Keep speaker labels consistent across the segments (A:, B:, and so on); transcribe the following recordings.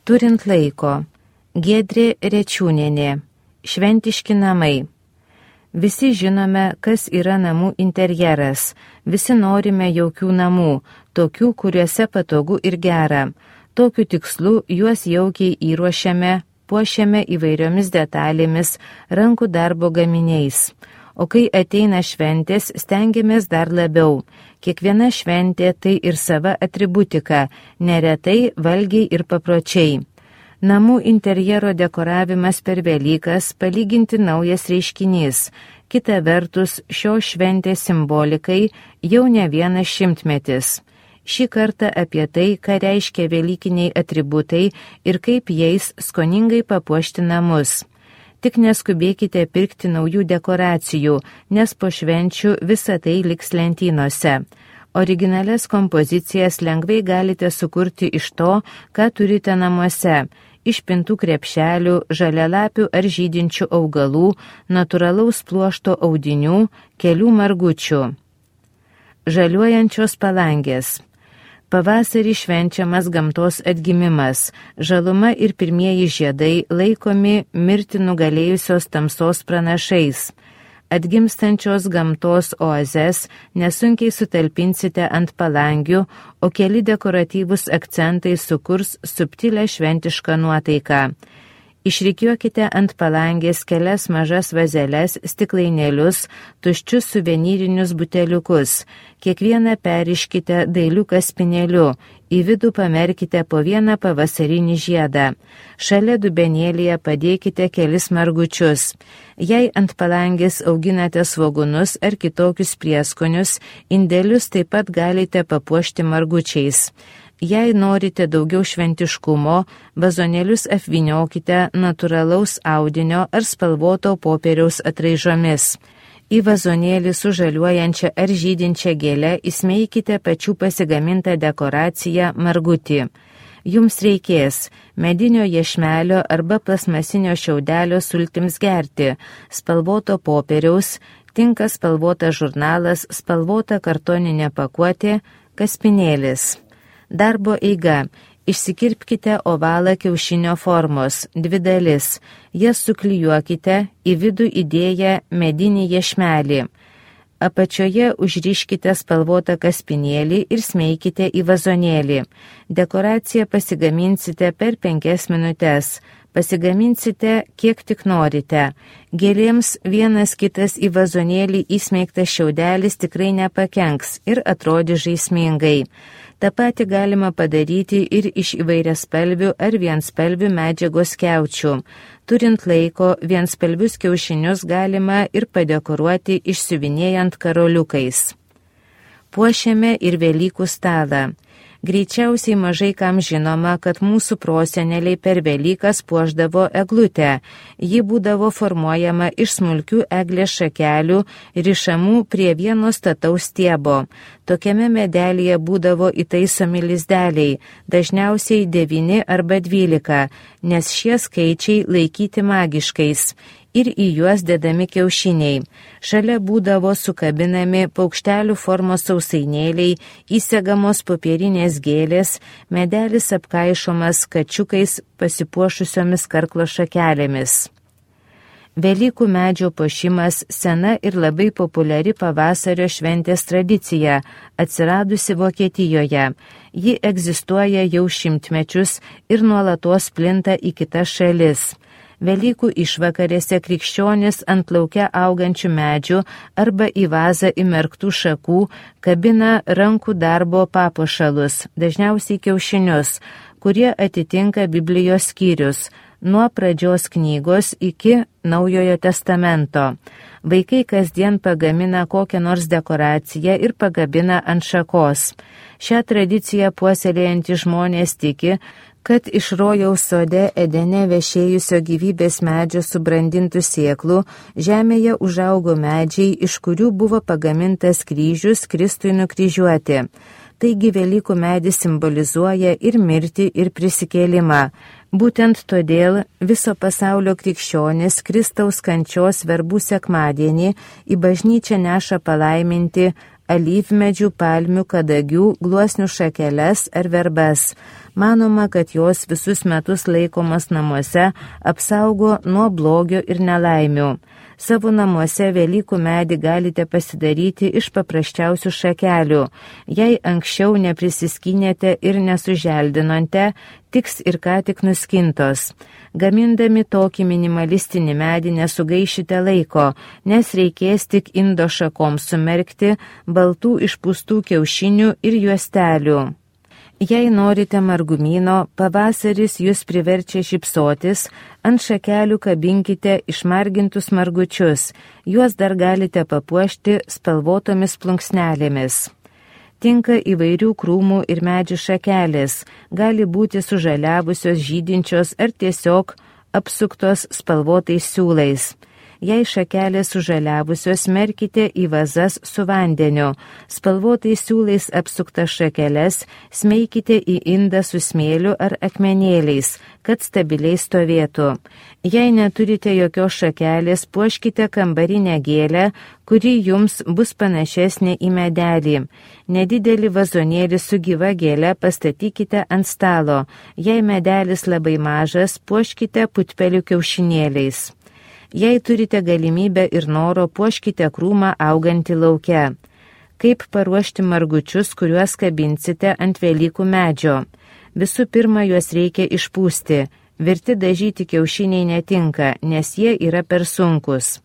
A: Turint laiko. Giedrė Rečiūnienė. Šventiški namai. Visi žinome, kas yra namų interjeras. Visi norime jaukių namų, tokių, kuriuose patogu ir gera. Tokiu tikslu juos jaukiai įruošiame, puošiame įvairiomis detalėmis, rankų darbo gaminiais. O kai ateina šventės, stengiamės dar labiau. Kiekviena šventė tai ir sava atributika, neretai valgiai ir papročiai. Namų interjero dekoravimas per Velykas palyginti naujas reiškinys. Kita vertus, šios šventės simbolikai jau ne vienas šimtmetis. Šį kartą apie tai, ką reiškia velykiniai atributai ir kaip jais skoningai papuošti namus. Tik neskubėkite pirkti naujų dekoracijų, nes po švenčių visa tai liks lentynose. Originalias kompozicijas lengvai galite sukurti iš to, ką turite namuose. Iš pintų krepšelių, žalialapių ar žydinčių augalų, natūralaus pluošto audinių, kelių margučių. Žaliuojančios palangės. Pavasarį švenčiamas gamtos atgimimas, žaluma ir pirmieji žiedai laikomi mirti nugalėjusios tamsos pranašais. Atgimstančios gamtos oazes nesunkiai sutalpinsite ant palangių, o keli dekoratyvūs akcentai sukurs subtilę šventišką nuotaiką. Išrikiuokite ant palangės kelias mažas vazeles, stiklainėlius, tuščius suvenyrinius buteliukus. Kiekvieną periškite dailiu kaspinėliu, į vidų pamerkite po vieną pavasarinį žiedą. Šalia dubenėlyje padėkite kelis margučius. Jei ant palangės auginate svogūnus ar kitokius prieskonius, indelius taip pat galite papuošti margučiais. Jei norite daugiau šventiškumo, vazonėlius apvyniokite natūralaus audinio ar spalvoto popieriaus atraižomis. Į vazonėlį su žaliuojančia ar žydinčia gėle įsmeikite pačių pasigamintą dekoraciją margutį. Jums reikės medinio iešmelio arba plasmasinio šiaudelio sultims gerti, spalvoto popieriaus, tinka spalvotas žurnalas, spalvota kartoninė pakuotė, kaspinėlis. Darbo eiga. Išsikirpkite ovalą kiaušinio formos, 2 dalis. Jas suklijuokite, į vidų įdėję medinį iešmelį. Apačioje užriškite spalvotą kaspinėlį ir smeikite į vazonėlį. Dekoraciją pasigaminsite per 5 minutes. Pasigaminsite, kiek tik norite. Gėlėms vienas kitas į vazonėlį įsmeigtas šiaudelis tikrai nepakenks ir atrodys žaismingai. Ta pati galima padaryti ir iš įvairiaspalvių ar vienspalvių medžiagos skiaučių. Turint laiko, vienspalvius kiaušinius galima ir padekoruoti išsiuvinėjant karoliukais. Puošiame ir Velykų stalą. Greičiausiai mažai kam žinoma, kad mūsų proseneliai per Velykas puošdavo eglutę. Ji būdavo formuojama iš smulkių eglės šakelių, rišamų prie vieno stataus stiebo. Tokiame medelėje būdavo įtaisomi lizdeliai, dažniausiai 9 arba 12, nes šie skaičiai laikyti magiškais. Ir į juos dedami kiaušiniai. Šalia būdavo sukabinami paukštelių formos sausainėliai, įsegamos popierinės gėlės, medelis apkaišomas kačiukais pasipuošusiomis karklo šakelėmis. Velykų medžio puošimas sena ir labai populiari pavasario šventės tradicija, atsiradusi Vokietijoje. Ji egzistuoja jau šimtmečius ir nuolatos plinta į kitas šalis. Velykų išvakarėse krikščionis ant lauke augančių medžių arba į vazą įmerktų šakų kabina rankų darbo papuošalus, dažniausiai kiaušinius, kurie atitinka Biblijos skyrius, nuo pradžios knygos iki Naujojo testamento. Vaikai kasdien pagamina kokią nors dekoraciją ir pagabina ant šakos. Šią tradiciją puoselėjantys žmonės tiki, kad iš rojaus sode Edene vešėjusio gyvybės medžio subrandintų sėklų žemėje užaugo medžiai, iš kurių buvo pagamintas kryžius Kristui nukryžiuoti. Taigi Velykų medis simbolizuoja ir mirtį, ir prisikėlimą. Būtent todėl viso pasaulio krikščionys Kristaus kančios verbų sekmadienį į bažnyčią neša palaiminti alyvmedžių, palmių, kadagių, gluosnių šakeles ar verbas. Manoma, kad jos visus metus laikomas namuose apsaugo nuo blogio ir nelaimių. Savo namuose Velykų medį galite pasidaryti iš paprasčiausių šakelių. Jei anksčiau neprisiskynėte ir nesuželdinote, tiks ir ką tik nuskintos. Gamindami tokį minimalistinį medį nesugaišite laiko, nes reikės tik indo šakoms sumerkti baltų išpūstų kiaušinių ir juostelių. Jei norite margumyno, pavasaris jūs priverčia šypsotis, ant šakelių kabinkite išmargintus margučius, juos dar galite papuošti spalvotomis plunksnelėmis. Tinka įvairių krūmų ir medžių šakelės, gali būti sužaliavusios, žydinčios ar tiesiog apsuktos spalvotais siūlais. Jei šakelės sužaliavusios, merkite į vazas su vandeniu. Spalvotais siūlais apsuktas šakeles smeikite į indą su smėliu ar akmenėliais, kad stabiliai stovėtų. Jei neturite jokios šakelės, puoškite kambarinę gėlę, kuri jums bus panašesnė į medelį. Nedidelį vazonėlį su gyva gėle pastatykite ant stalo. Jei medelis labai mažas, puoškite putpelių kiaušinėliais. Jei turite galimybę ir noro, puoškite krūmą augantį lauke. Kaip paruošti margučius, kuriuos kabinsite ant Velykų medžio? Visų pirma, juos reikia išpūsti. Virti dažyti kiaušiniai netinka, nes jie yra per sunkus.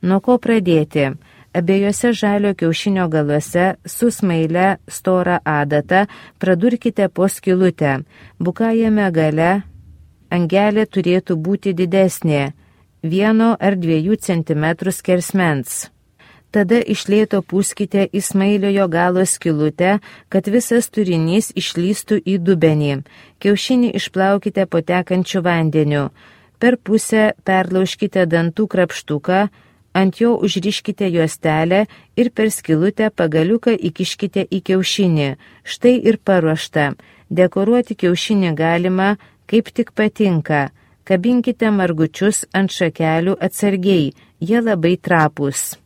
A: Nuo ko pradėti? Abiejose žalio kiaušinio galuose su smaile storą adatą pradurkite po skylutę. Bukajame gale angelė turėtų būti didesnė, 1 ar 2 cm skersmens. Tada iš lėto pūskite į smailiojo galo skylutę, kad visas turinys išlystų į dubenį. Kiaušinį išplaukite po tekančiu vandeniu. Per pusę perlaužkite dantų krapštuką, ant jo užriškite juostelę ir per skylutę pagaliuką įkiškite į kiaušinį. Štai ir paruošta. Dekoruoti kiaušinį galima, kaip tik patinka. Kabinkite margučius ant šakelių atsargiai, jie labai trapūs.